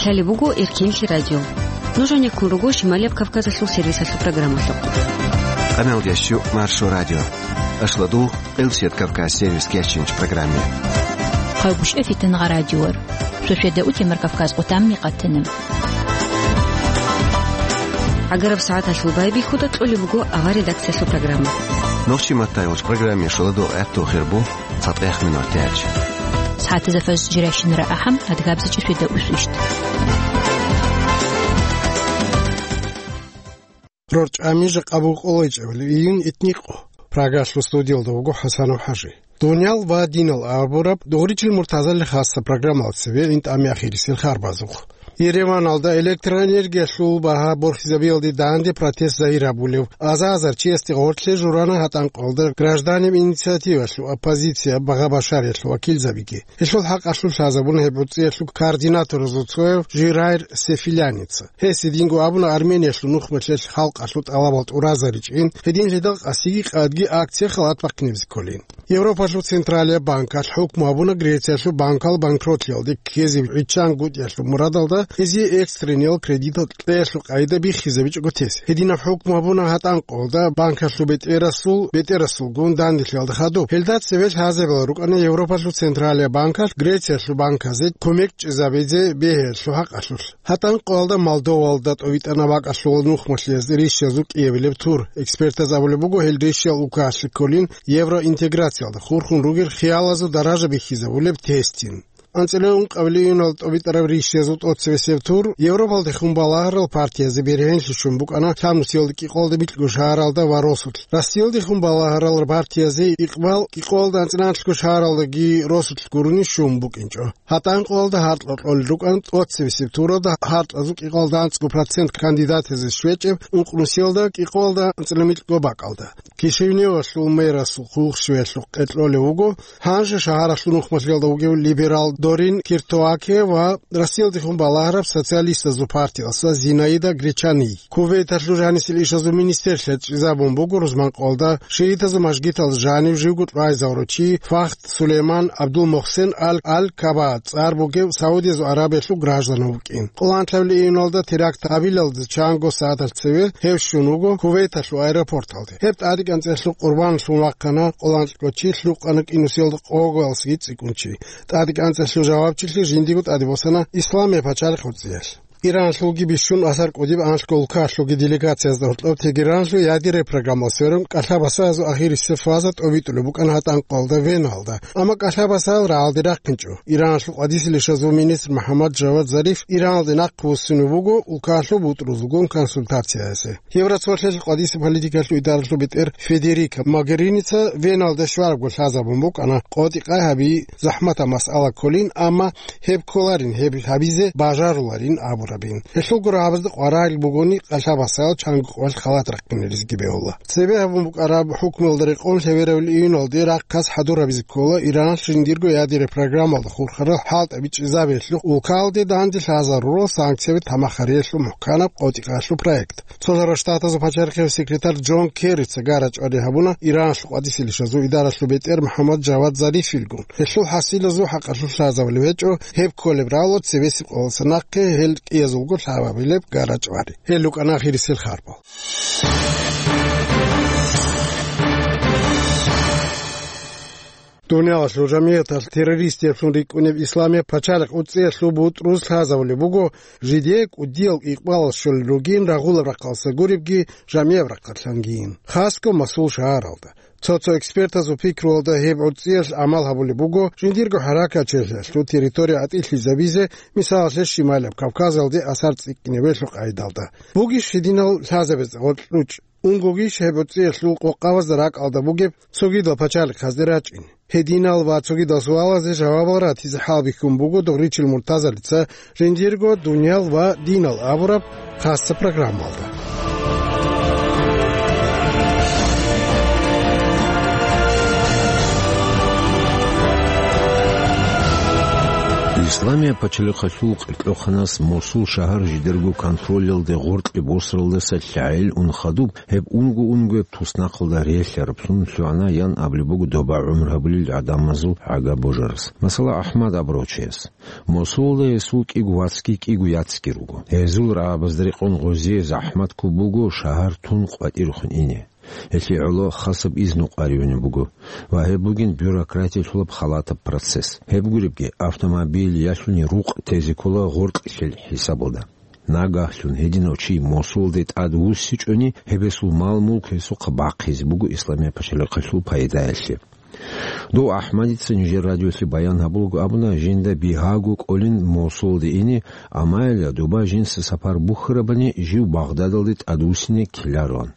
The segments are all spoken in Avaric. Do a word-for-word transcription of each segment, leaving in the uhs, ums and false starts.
Лъалеб буго Эркинлъи радио. Нуж гьанеккун руго Шималияб Кавказалъул сервисалъул программалъухъ. Къаналдящу Маршо радио. Ашладу Къилсият Кавказ сервис кечинч программе. Хъайгъушев Фитнагъа радиор. Шошеда утемар Кавказ къутамни къатана. Агараб сагӀаталъул байбихьуда кьолеб буго авар редакциялъул программа. Нохчи матайвалч программе шоладу гӀатту хирбу. ЦатӀех минутач. СагӀатазда фажр жирайщинара ахӀам, адгабзичӀи шведа усвищт. РорчӀами жакъа букӀолайчӀебали июнь итникъо. Прагалъул студиялда вуго ХӀасанов ХӀажи. Дуниял ва динал абураб дугъричил муртазали хасса программал цебе интӀами ахирисел харбазухъ. Ереваналда электроэнергиялъул багьа борхизабиялде данде протест загьир гьабулев аза-азар чиясде гъорлъе журана гьатӀанкъалда гражданин инициативалъул оппозиция багъа башариялъул вакилзабиги. Гьелъул хӀакъалъулъ лъазабуна гьеб гӀуцӀиялъул координаторазул цояв Жирайр Сефиляница. Гьес гьединго абуна Армениялъул нухмалъиялъ халкъалъул тӀалабал тӀуразаричӀин, гьединлъидал къасиги къадги акция халат бахъинебзи кколин. Европалъул Централияб банкалъ хӀукму гьабуна Грециялъул банкал банкротлъиялде ккезе гӀиччан гутӀиялъул мурадалда гьезие экстрениял кредитал кьеялъул къагӀида биххизабичӀого тес. Гьединаб хӀукму гьабуна гьатӀанкъолда банкалъул бетӀерасул, бетӀерасулгун данделъиялда хадуб. Гьелда цеве лъазабила рукӀана Европалъул Централияб банкалъ Грециялъул банказе кумек чӀезабизе бегьиялъул хӀакъалъулъ. ГьатӀанкъоялда Молдовалда тӀовитӀана бакӀалъул нухмалъиялъ рищиязул кӀиабилеб тур. Экспертаз абулеб буго, гьел рищиял улкаялъе кколин евроинтеграциялда хурхун ругел хиялазул даража бихьизабулеб тестин. АнцӀила ункъабилеб июналда тӀобитӀараб рищиязул тӀоцебесеб тур Европалдехун балагьарал партиязе бергьенлъи щун букӀана лъабнусиялда кӀикъоялда микьго шагьаралда ва росулъ. Россиялдехун балагьарал партиязе икъбал кӀикъоялда анцӀила анлъго шагьаралдаги росулъ гурони щун букӀинчӀо. ГьатӀанкъоялда гьаркьа кьолел рукӀана тӀоцебесеб туралда гьаркьазул кӀикъоялда анцӀго процент кандидатазе щвечӀеб ункънусиялда кӀикъоялда анцӀила микьго бакӀалда. Кишиневалъул мэрасул хъулухъ щвеялъухъ кьолев вуго гьанже шагьаралъул нухмалъиялда вугев либерал Дорин Киртоаке ва Россиялдехун балагьараб социалистазул партиялъа Зинаида Гречани. Кувейталъул жанисел ишазул министрлъиялъ чӀезабун буго рузманкъоялда шиитазул мажгиталда жанив живго чӀвайзавурав чи Фахд Сулейман Абдул-Мухсен Ал-, Ал-Каба цӀар бугев Саудиязул Аравиялъул граждан вукӀин. Къоло анлъабилеб июналда теракт гьабилалде чанго сагӀаталъ цеве гьев щун вуго Кувейталъул аэропорталде. Гьеб тӀадегӀанцӀеялъул къурбаналъун вахъана къоло анлъго чи, лъукъана кӀинусиялда къоялъги цӀикӀкӀун чи. ТӀадегӀанцӀеялъул жавабчилъи жиндиего тӀаде босана Исламияб пачалихъ гӀуцӀиялъ. Иранлъулги бищун асар кӀудиб анлъго улкалъулги делегациязда гьоркьоб Тегеранлъул ядерный программалъ сверун кӀалъа-басаязул ахирисеб фаза тӀобитӀулеб букӀана гьатӀанкъоялда Веналда. Амма кӀалъа-басаял рагӀалде рахъинчӀо. Иранлъул къватӀиселищазул министр МухӀаммад Жавад Зариф Иранлде нахъвуссунев вуго улкалъул бутӀрузулгун консультацияясе. Евроцолъиялъ къватӀиса политикалъул идаралъул бетӀер Федерика Могеринийица Веналда щварабго лъазабун букӀана къотӀи-къай гьаби захӀматаб масъала кколин, амма гьеб кколарин, гьеб гьабизе бажаруларин абурабин. Гьелъул гурабазда къваригӀел бугони кӀалъа-басаял чанго къоялъ халат рахъинаризги бегьула. Цебе гьабун букӀараб хӀукмуялда рекъон лъебераб июналде рахъ хъас хӀадур гьабизе ккола Иранлъ жиндирго ядерный программалда хурхарал хӀалтӀаби чӀезабиялъухъ улкалде данде лъазарурал санкцияби тамахариялъул мухӀканаб къотӀи-къаялъул проект. Цолъарал Штатазул пачалихъияв секретарь Джон Керрица гара-чӀвари гьабуна Иранлъул къватӀиселищазул идаралъул бетӀер МухӀаммад Жавад Зарифилгун. Гьелъул хӀасилазул хӀакъалъулъ лъазабулеб гьечӀо, гьеб кколеб рало цебесеб къоялъа нахъе гьел кӀиязулго лъабабилеб гара-чӀвари. Гьел рукӀана ахирисел харбал. Дуниялалъул жамигӀаталъ террористиялъун рикӀкӀунеб Исламияб пачалихъ гӀуцӀиялъул бутӀруз лъазабулеб буго, жидее кӀудиял икъбалал щолел ругин рагъулаб рахъалса гуребги, жамигӀаб рахъалъангийин, хасго масул шагьаралда. Цо-цо экспертазул пикруялда гьеб гӀуцӀиялъ гӀамал гьабулеб буго жиндирго хӀаракатчилъиялъул территория гӀатӀилъизабизе, мисалалъе, Шималияб Кавказалде асар цӀикӀкӀинабиялъул къайдалда. Бугищ гьединал лъазабизе гъоркье ручӀ? Унгогищ гьеб гӀуцӀиялъул къокъабазда ракӀалда бугеб цогидал пачалихъазде рачӀин? Гьединал ва цогидал суалазе жавабал ратизе хӀалбихьун буго Дугъричил Муртазалица жиндирго «Дуниял ва динал» абураб хасса программалда. Исламияб пачалихъалъул къеркьохъанас Мосул шагьар жидерго контролялде гъоркье босаралдаса лъагӀел ун хадуб, гьеб унго-унгояб туснахъалда релълъараблъун лъугӀана, ян абулеб буго доба гӀумру гьабулел гӀадамазул гӀага божарас. Масала, АхӀмад абурав чияс. Мосулалда гьесул кӀиго вацги кӀиго яцги руго. Гьезул рагӀабазда рекъон гъозие захӀмат ккун буго шагьар тун къватӀирехун ине. Гьелъие гӀоло хасаб изну къваригӀунеб буго ва гьеб бугин бюрократиялъулаб халатаб процесс. Гьеб гуребги, автомобиль ялъуни рукъ тезе ккола гъоркьлъил хӀисабалда. Нагагьлъун гьединав чи Мосулалде тӀадвуссичӀони, гьеб гьесул мал-мулк гьесухъа бахъизе буго Исламияб пачалихъалъул пайдаялъе. Дов АхӀмадица нижер радиолъе баян гьабулаго абуна, жинда бигьаго кӀолин Мосулалде ине, амма гьелда доба жинца сапар бухьарабани жив Багъдадалде тӀадвуссине ккелароан.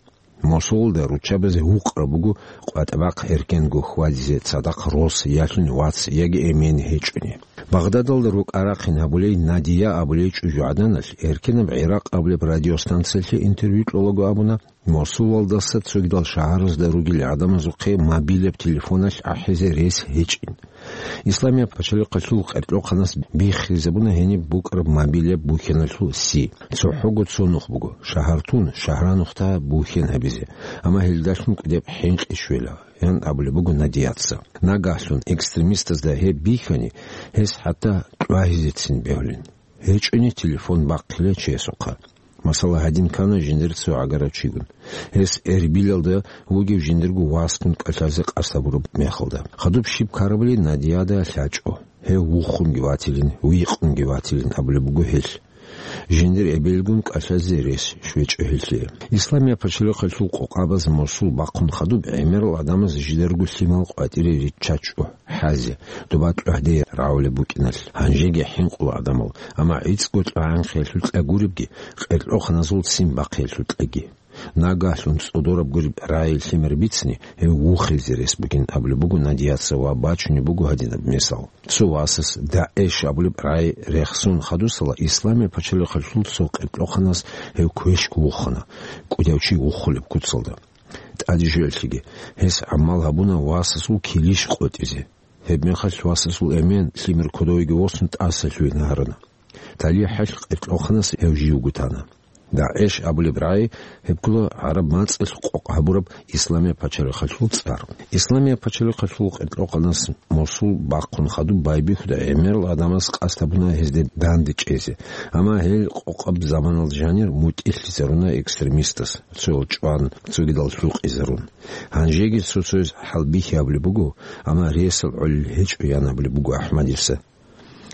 Мосулалда руччабазе гьукъараб буго къватӀа-бахъ эркенго хьвадизе цадахъ рос, ялъуни вац яги эмен гьечӀони. Багъдадалда рукӀа-рахъин гьабулей Надия абулей чӀужугӀаданалъ эркенаб ГӀиракъ абулеб радиостанциялъе интервью кьолаго абуна, Мосулалдаса цогидал шагьаразда ругел гӀадамазухъе мобиляб телефоналъ ахӀизе рес гьечӀин. Исламияб пачалихъалъул къеркьохъанас биххизабуна гьениб букӀараб мобиляб бухьаналъул си. ЦохӀого цо нух буго, шагьар тун, шагьранухъ та бухьен гьабизе, амма гьелдалъун кӀудеб хӀинкъи щвела, ян абулеб буго Надияца. Нагагьлъун экстремистазда гьеб бихьани, гьес хӀатта кьвагьизецин бегьулин. ГьечӀони телефон бахъила чиясухъа. Масала, гьадин ккана жиндир цо гӀагарав чигун. Гьес Эрбилалда вугев жиндирго васгун кӀалъазе къасд гьабураб мехалда. Хадуб щиб ккарабали Надияда лъачӀо. Гьев вухунги ватилин, вихъунги ватилин абулеб буго гьелъ. Жиндир эбелгун кӀалъазе рес щвечӀо гьелъие. Исламияб пачалихъалъул къокъабаз Мосул бахъун хадуб гӀемерал гӀадамаз жидерго лъимал къватӀире риччачӀо. ХӀазе, доба кьогьде рагӀулеб букӀиналъ, гьанжеги хӀинкъула гӀадамал, амма гӀицӀго кьогӀанхъиялъул кьа гуребги, къеркьохъаназул ццин бахъиялъул кьаги. Нагагьлъун цӀодораб гуреб рагӀи лъимер бицни, гьев вухизе рес бугин абулеб буго Надияца ва бачунеб буго гьадинаб мисал. Цо васас ДАГӀИШ абулеб рагӀи рехсон хадусала Исламияб пачалихъалъул цо къеркьохъанас гьев квешго вухана, кӀудияв чи вухулеб куцалда. ТӀаде жоялъеги, гьес гӀамал гьабуна васасул килищ къотӀизе. Гьебмехалъ васасул эмен лъимер кодовеги восун тӀасалъугьин гьарана. ТалихӀалъ къеркьохъанас гьев живго тана. ДАГӀИШ абулеб рагӀи гьеб ккола гӀараб мацӀалъ къокъ гьабураб Исламияб пачалихъалъул цӀар. Исламияб пачалихъалъул къеркьохъанас Мосул бахъун хадуб байбихьуда гӀемерал гӀадамаз къасд гьабуна гьезде данде чӀезе, амма гьел къокъаб заманалда жанир мутӀигӀлъизаруна экстремистас, цоял чӀван, цогидал лъукъизарун. Гьанжеги цо-цояз хӀалбихьи гьабулеб буго, амма ресал гӀолел гьечӀо, ян абулеб буго АхӀмадица.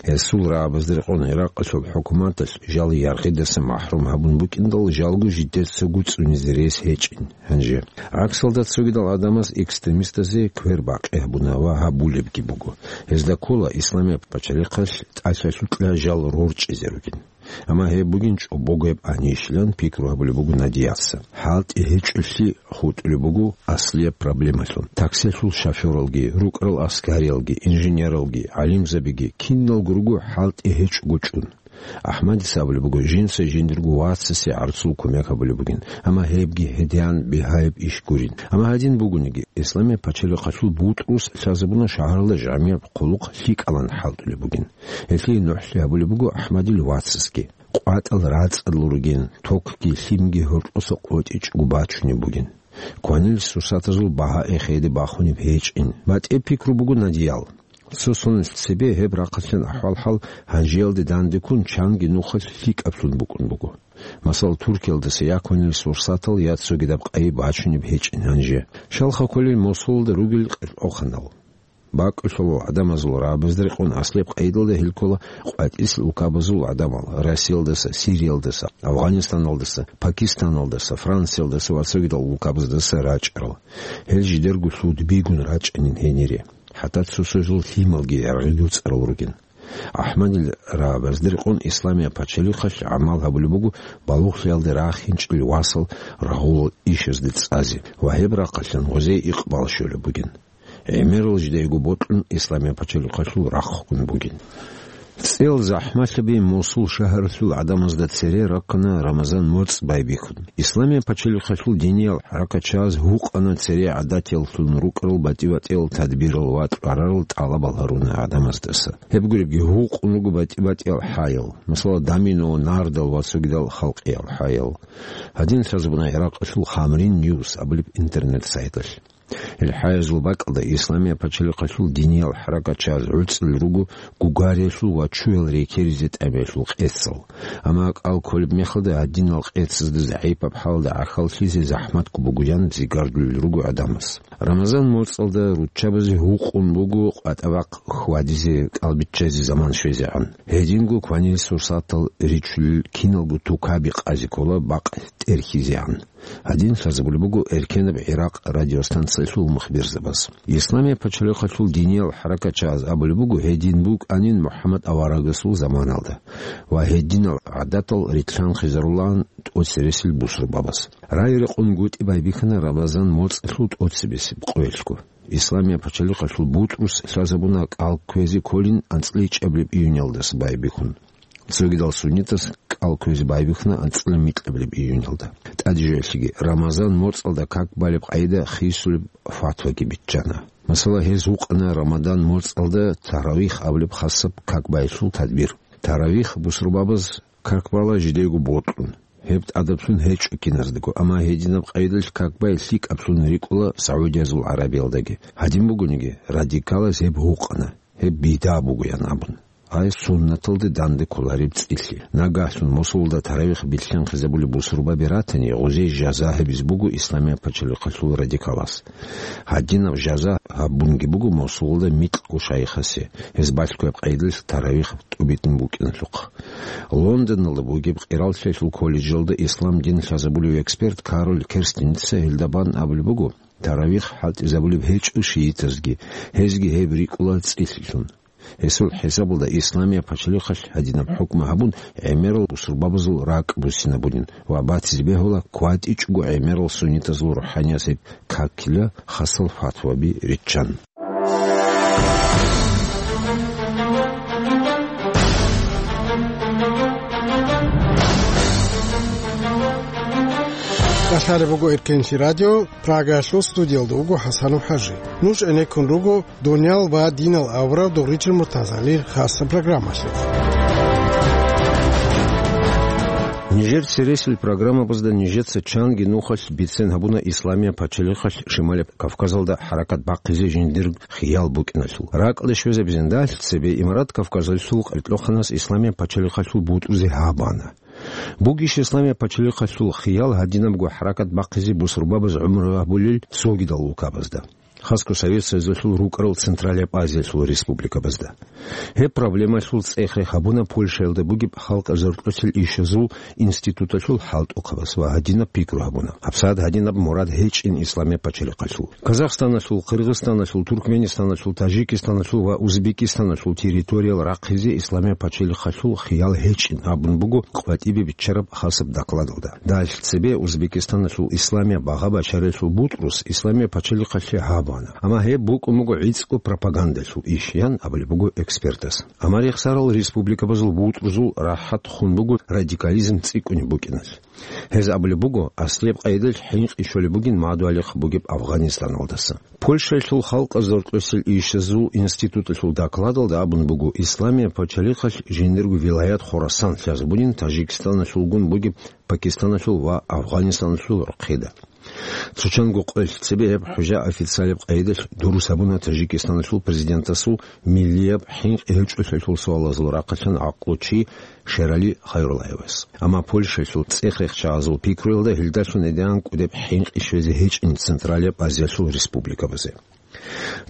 Гьесул рагӀабазда рекъон Иракъалъул хӀукуматалъ жал яргъидаса махӀрум гьабун букӀиндал, жалго жидеца гуцӀунизе рес гьечӀин гьанже. ГӀаксалда цогидал гӀадамаз экстремистазе квер бакъи гьабуна ва гьабулебги буго. Гьезда ккола Исламияб пачалихъалъ тӀалъалъукьа жал рорчӀизе ругин. Амма гьеб бугин чӀобогояб анищилан пикру гьабулеб буго Надияца. ХӀалтӀи гьечӀолъи хутӀулеб буго аслияб проблемалъун. Таксилъул шофёралги, рукӀарал аскариялги, инженералги, гӀалимзабиги, киналго руго хӀалтӀи гьечӀого чӀун. АхӀмадица абулеб буго, жинца жиндирго вацасе гӀарцул кумек гьабулеб бугин, амма гьебги гьедин бигьаяб иш гурин. Амма гьадин бугониги, Исламияб пачалихъалъул бутӀрус лъазабуна шагьаралда жамигӀ хъулухъ лъикӀалан хӀалтӀулеб бугин. Гьелъие нухӀлъи гьабулеб буго АхӀмадил вацасги. КъватӀал рацӀцӀадал ругин, токги лъимги гьоркьоса къотӀичӀого бачунеб бугин. Кванил сурсатазул багьа эхеде бахунеб гьечӀин. БатӀе пикру буго Надиял. Цо соналъ цебе гьеб рахъалъан ахӀвал-хӀал гьанжеялде дандеккун чанги нухалъ лъикӀаблъун букӀун буго. Масала, Туркиялдаса я кванил сурсатал, я цогидаб къайи бачунеб гьечӀин гьанже. Щалха кколел Мосулалда ругел къеркьохъанал. БакӀулъулал гӀадамазул рагӀабазда рекъон аслияб къайдалда гьел ккола къватӀисел улкабазул гӀадамал: Россиялдаса, Сириялдаса, Афгъанистаналдаса, Пакистаналдаса, Франциялдаса ва цогидал улкабаздаса рачӀарал. Гьел жидерго лъудбигун рачӀанин гьенире. ХӀатта цо-цоязул лъималги яргъи-дуцӀарал ругин. АхӀмадил рагӀабазда рекъон Исламияб пачалихъалъ гӀамал гьабулеб буго балугълъиялде рахинчӀел васал рагъулал ишазде цӀазе ва гьеб рахъалъан гъозие икъбал щолеб бугин. ГӀемерал жидейго бокьун Исламияб пачалихъалъул рахъун бугин. ЦӀел захӀмалъаби Мосул шагьаралъул гӀадамазда цере раккана Рамазан моцӀ байбихьун. Исламияб пачалихъалъул диниял хӀаракатчагӀаз гьукъана цере гӀадатияллъун рукӀарал батӀи-батӀиял тадбирал ва тӀварарал тӀалабал гьаруна гӀадамаздаса. Гьеб гуребги гьукъун руго батӀи-батӀиял хӀаял, масала, домино, нардал ва цогидал халкъиял хӀаял. Гьадин лъазабуна Иракъалъул Хамрин Ньюс абулеб интернет-сайталъ. Гьел хӀаязул бакӀалда Исламияб пачалихъалъул диниял хӀаракатчагӀаз гӀуцӀил руго гугариялъул ва чуял рекеризе тӀамиялъул къецал. Амма кӀал кколеб мехалда гьадинал къецазда загӀипаб хӀалалда гӀахьаллъизе захӀматго бугоян зигардулел руго гӀадамаз. Рамазан моцӀалда руччабазе гьукъун буго къватӀа-бахъ хьвадизе, кӀалбиччазе заман щвезегӀан. Гьединго кванил сурсатал ричулел киналго тукаби къазе ккола бакъ тӀерхьизегӀан. Гьадин лъазабулеб буго эркенаб Иракъ радиостанциялъул мухбирзабаз. Исламияб пачалихъалъул диниял хӀаракатчагӀаз абулеб буго, гьедин букӀанин МухӀаммад аварагасул заманалда ва гьединал гӀадатал рилълъанхъизарулаан тӀоцересел бусурбабаз. Рай-рекъон гутӀи байбихьана Рамазан моцӀалъул тӀоцебесеб къоялъго. Исламияб пачалихъалъул бутӀрус лъазабуна кӀал кквезе кколин анцӀила ичӀабилеб июньалдаса байбихьун. Цогидал суннитас кӀал кквезе байбихьана анцӀила микьабилеб июньалда. ТӀадежалъеги Рамазан моцӀалда как балеб къайда хисулеб фатваги биччана. Масала, гьез гьукъана Рамадан моцӀалда таравих абулеб хасаб как байилъул тадбир. Таравих бусурбабаз как бала жидего бокьун, гьеб тӀадаблъун гьечӀо киназдаго, амма гьединаб къайдалъ как бай лъикӀаблъун рикӀкӀула Саудиязул ГӀарабиялдаги. Гьадин бугониги, радикалаз гьеб гьукъана, гьеб бидгӀа бугоян абун. Гьай суннаталде данде кколареб цӀилъи. Нагагьлъун Мосулалда таравих билълъанхъизабулеб бусурбаби ратани, гъозие жаза гьабизе буго Исламияб пачалихъалъул радикалас. Гьадинаб жаза гьабунги буго Мосулалда микьго шайихасе, гьез балъгояб къайдалъ таравих тӀубитӀун букӀиналъухъ. Лондоналда бугеб къираллъиялъул колледжалда ислам дин лъазабулев эксперт Кароль Керстеница гьелда бан абулеб буго, таравих хӀалтӀизабулеб гьечӀо шиитазги, гьезги гьеб рикӀкӀула цӀилъилъун. Гьесул хӀисабалда Исламияб пачалихъалъ гьадинаб хӀукму гьабун, гӀемерал бусурбабазул ракӀ буссинабунин ва батизе бегьула кватӀичӀого гӀемерал суннитазул рухӀаниязул какила хасал фатваби риччан. Калъалеб буго Эркенлъи радио, Прагаялъул студиялда вуго ХӀасанов ХӀажи. Нуж гӀенеккун руго «Дуниял ва динал» аварагасул догъричил Муртазалил хасаб программалъухъ. Нижер цересел программабазда нижеца чанги нухалъ бицен гьабуна Исламияб пачалихъалъ Шималияб Кавказалда хӀаракат бахъизе жиндир хиял букӀиналъул. РакӀалде щвезабизин, дагьалъ цебе Имарат Кавказалъул къеркьоханас Исламияб пачалихъалъул бутӀрузе гьаб ана. Бугищ Исламияб пачалихъалъул хиял гьадинабго хӀаракат бахъизе бусурбабаз гӀумру гьабулел цогидал улкабазда, хасго Совет Союзалъул рукӀарал Централияб Азиялъул республикабазда? Гьеб проблемалъул цӀех-рех гьабуна Польшаялда бугеб халкъ заркьулъел ишазул институталъул хӀалтӀухъабаз ва гьадинаб пикру гьабуна. ГьабсагӀат гьадинаб мурад гьечӀин Исламияб пачалихъалъул. Казахстаналъул, Къиргъизстаналъул, Туркменистаналъул, Таджикистаналъул ва Узбекистаналъул территориял рахъизе Исламияб пачалихъалъул хиял гьечӀин абун буго къватӀибе биччараб хасаб докладалда. Дагьалъ цебе Узбекистаналъул Исламияб багъа бачаралъул бутӀрус Исламияб пачалихъалъе гьаб ана. Амма гьеб букӀун буго гӀицӀго пропагандалъул иш, ян абулеб буго экспертас. Амма рехсарал республикабазул бутӀрузул рахӀат хун буго радикализм цӀикӀкӀунеб букӀиналъ. Гьез абулеб буго, аслияб къайдалъ хӀинкъи щолеб бугин мадугьалихъ бугеб Афгъанистаналдаса. Польшаялъул халкъ заркьулъел ишазул институталъул докладалда абун буго, Исламияб пачалихъалъ жиндирго вилаят Хурасан лъазабунин Таджикистаналъулгун бугеб Пакистаналъул ва Афгъанистаналъул рохъеда. Цо чанго къоялъ цебе гьеб хӀужа официалияб къайдалъ дурус гьабуна Таджикистаналъул президентасул миллияб хӀинкъи гьечӀолъиялъул суалазул рахъалъан гӀакълу чи Шерали Хайруллаевас. Амма Польшаялъул цӀех-рех чагӀазул пикруялда гьелдалъун гӀедегӀан кӀудеб хӀинкъи щвезе гьечӀин Централияб Азиялъул республикабазе.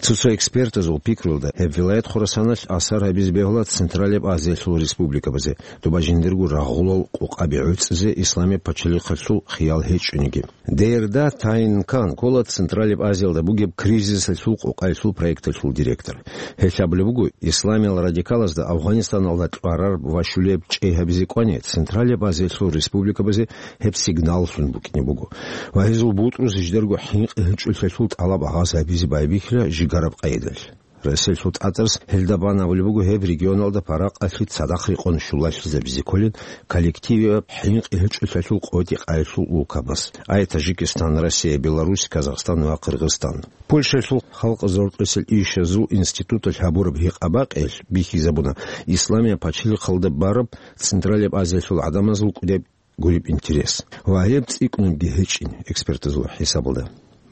Цо-цо экспертазул пикруялда, гьеб вилаят Хурасаналъ асар гьабизе бегьула Централияб Азиялъул республикабазе, доба жиндирго рагъулал къокъаби гӀуцӀизе Исламияб пачалихъалъул хиял гьечӀониги. Дерда Тайнкан ккола Централияб Азиялда бугеб кризисалъул къокъаялъул проекталъул директор. Гьелъ абулеб буго, исламиял радикалазда Афгъанистаналда кьвараб ва щулеб чӀей гьабизе кӀвани, Централияб Азиялъул республикабазе гьеб сигналлъун букӀине буго ва гьезул бутӀрус жидерго хӀинкъи гьечӀолъиялъул тӀалаб гӀагъаз гьабизе байбихьила жигараб къайдалъ. Россиялъул тӀатӀарас гьелда бан абулеб буго гьеб регионалда паракъалъи цадахъ рекъон щулалъизабизе кколин коллективияб хӀинкъи гьечӀолъиялъул къотӀи-къайилъул улкабаз, ай Таджикистан, Россия, Беларусь, Казахстан ва Кыргызстан. Польшаялъул халкъ зоркьисел ишазул институталъ гьабураб гьикъа-бакъиялъ бихьизабуна, Исламияб пачалихъалда бараб Централияб Азиялъул гӀадамазул кӀудеб гуреб интерес. Ва гьеб цӀикӀкӀунебги гьечӀин экспертазул хӀисабалда.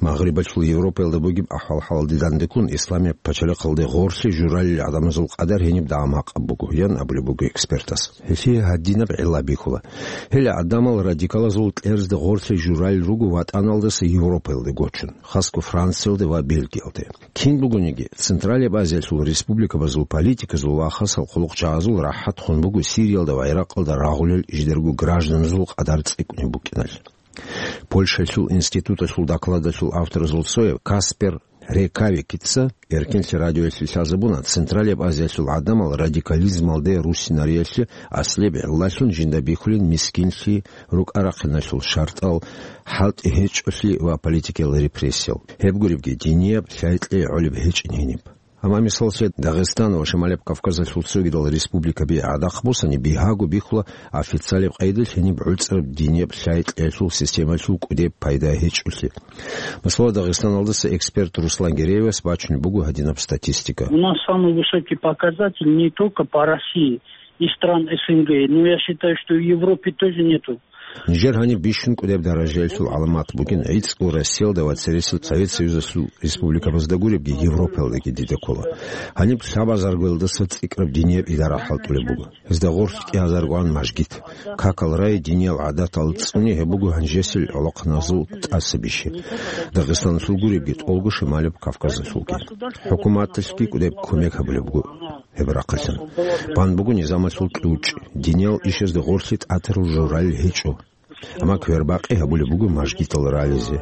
Магърибалъул Европаялда бугеб ахӀвал-хӀалалде дандеккун, Исламияб пачалихъалде гъорлъе журалел гӀадамазул къадар гьениб дагӀан-гьакъаб буго, ян абулеб буго экспертас. Гьелъие гьадинаб гӀилла бихьула. Гьел гӀадамал радикалазул кьерзде гъорлъе журалел руго ВатӀаналдаса Европаялде гочун, хасго Франциялде ва Бельгиялде. Кин бугониги, Централияб Азиялъул республикабазул политиказул ва хасал хъулухъчагӀазул рахӀат хун буго Сириялда ва Иракъалда рагъулел жидерго гражданазул къадар цӀикӀкӀунеб букӀиналъ. Польшаялъул институталъул докладалъул авторазул цояв Каспер Рекавикица Эркенлъи радиоялъе лъазабуна, Централияб Азиялъул гӀадамал радикализмалде руссинариялъе аслияб гӀиллалъун жинда бихьулин мискинлъи, рукӀа-рахъиналъул шартӀал, хӀалтӀи гьечӀолъи ва политикиял репрессиял. Гьеб гуребги, динияб лъай-кьей гӀолеб гьечӀин гьениб. Амма, мисаллъе, Дагъистан ва Шималияб Кавказалъул цогидал республикаби гӀадахъ босани, бигьаго бихьула официалияб къайдалъ гьениб гӀуцӀраб динияб лъай-кьеялъул системалъул кӀудеб пайда гьечӀолъи. Масала, Дагъистаналдаса эксперт Руслан Гереевас бачунеб буго гьадинаб статистика. У нас самый высокий показатель не только по России и стран С Н Г, но я считаю, что и в Европе тоже нету. Нижер гьаниб бищун кӀудеб даражаялъул гӀаламат бугин, гӀицӀго Россиялда ва цересел Совет Союзалъул республикабазда гуребги, Европаялдаги дида ккола. Гьаниб лъабазаргоялдаса цӀикӀкӀараб динияб идара хӀалтӀулеб буго. Гьезда гъорлъ кӀиазаргогӀан мажгит. Какал рай, диниял гӀадатал цӀуни, гьеб буго гьанжесел гӀолохъаназул тӀасабищи. Дагъистаналъул гуребги, тӀолго Шималияб Кавказалъулги. ХӀукуматалъги кӀудеб кумек гьабулеб буго гьеб рахъалъан. Бан буго низамалъул кьучӀ, диниял ишазда гъорлъе тӀатарал журалел гьечӀо. Амма квербакъи гьабулеб буго мажгитал рализе.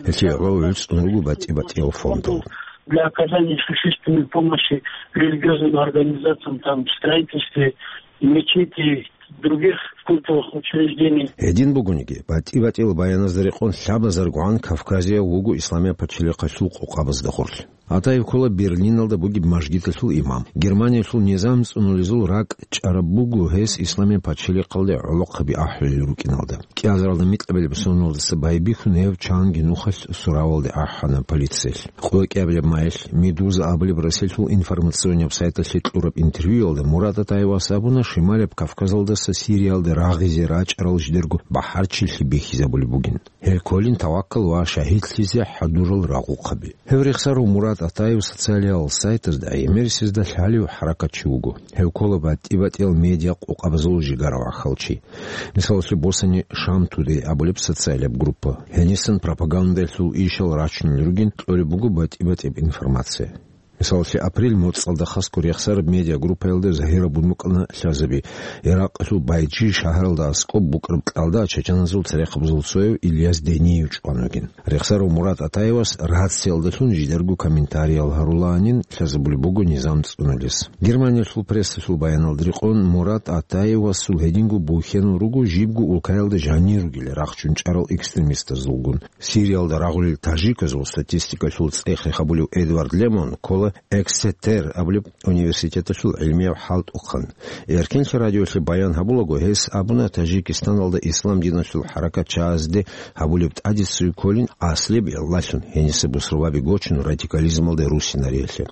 Гьелъие гӀоло гӀуцӀун руго батӀи-батӀиял фондал. Для оказания существенной помощи религиозным организациям, там, в строительстве мечетей, других культовых учреждений. Гьедин бугониги, батӀи-батӀиял баяназда рекъон лъабазаргогӀан Кавказияв вуго Исламияб пачалихъалъул къокъабазда гъорлъ. Атаев ккола Берлиналда бугеб мажгиталъул имам. Германиялъул низам цӀунулезул ракӀ чӀараб буго гьес Исламияб пачалихъалде гӀолохъаби ахӀулел рукӀиналда. КӀиазаралда микьабилеб соналдаса байбихьун гьев чанги нухалъ суравалде ахӀана полициялъ. КъвекӀиабилеб майилъ Медуза абулеб Россиялъул информационнияб сайталъе кьураб интервьюялда Мурат Атаевас абуна, Шималияб Кавказалдаса Сириялде рагъизе рачӀарал жидерго бахӀарчилъи бихьизабулеб бугин. Гьел кколин таваккал ва шагьидлъизе хӀадурал рагъухъаби. Гьев рехсарав Мурат Атаев социалиял сайтазда гӀемерисезда лъалев хӀаракатчи вуго. Гьев ккола батӀи-батӀиял медиа къокъабазул жигара вахалчи. Мисалалъе босани, Шам Тудей абулеб социалияб группа. Гьенисан пропагандалъул ишал рачунел ругин кьолеб буго батӀи-батӀияб информация. Мисалалъе, апрель моцӀалда хасго рехсараб медиагруппаялда загьирабун букӀана лъазаби, Иракъалъул Байджи шагьаралда аскӀоб букӀараб кьалда чачаназул церехъабазул цояв Ильяс Дениев чӀван вугин. Рехсарав Мурат Атаевас рациялдалъун жидерго комментариял гьарулаанин лъазабулеб буго низам цӀунулес. Германиялъул прессалъул баяналда рекъон, Мурат Атаевасул гьединго бухьенал руго жибго улкаялда жанир ругел рахчун чӀарал экстремистазулгун. Сириялда рагъулел тажиказул статистикалъул цӀех-рех гьабулев Эдвард Лемон ккола Эксетер абулеб университеталъул гӀилмияв хӀалтӀухъан. Эркенлъи радиолъе баян гьабулаго, гьес абуна, Таджикистаналда ислам диналъул хӀаракатчагӀазде гьабулеб тӀадиццуй кколин аслияб гӀиллалъун, гьениса бусурбаби гочун радикализмалде руссинариялъе.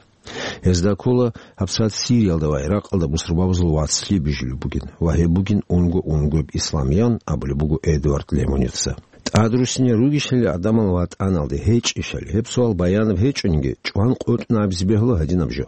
Гьезда ккола гьабсагӀат Сириялда ва Иракъалда бусурбабазул вацлъи бижулеб бугин ва гьеб бугин унго-унгояб ислам, ян абулеб буго Эдвард Лемоница. ТӀадруссине ругищали гӀадамал ватӀаналде, гьечӀищали? Гьеб суал баянаб гьечӀониги, чӀван къотӀун абизе бегьула гьадинаб жо.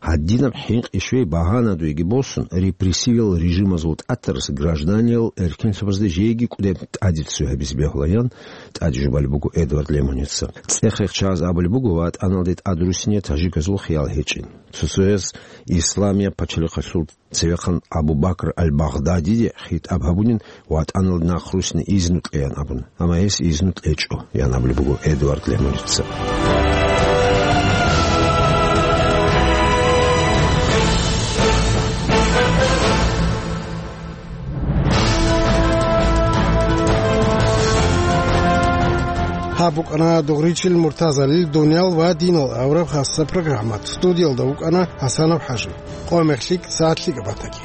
Гьадинаб хӀинкъи-щвей багьанадуеги босун, репрессивиял режимазул тӀатарас гражданиял эркенлъабазда жеги кӀудеб тӀадиццуй гьабизе бегьула, ян тӀаде жубалеб буго Эдвард Лемоница. ЦӀех-рех чагӀаз абулеб буго ватӀаналде тӀадруссине тажиказул хиял гьечӀин. Цо-цояз Исламияб пачалихъалъул цевехъан Абу Бакр аль-Багъдадиде хитӀаб гьабунин, ватӀаналде нахъруссине изну кьеян абун, амма гьес изну кьечӀо, ян абулеб буго Эдвард Лемоница. Гьаб букӀана Дугъричил Муртазалил «Дуниял ва динал» абураб хасса программа. Студиялда вукӀана ХӀасанов ХӀажи. Къо-мех лъикӀ, сагӀат лъикӀаб батаги.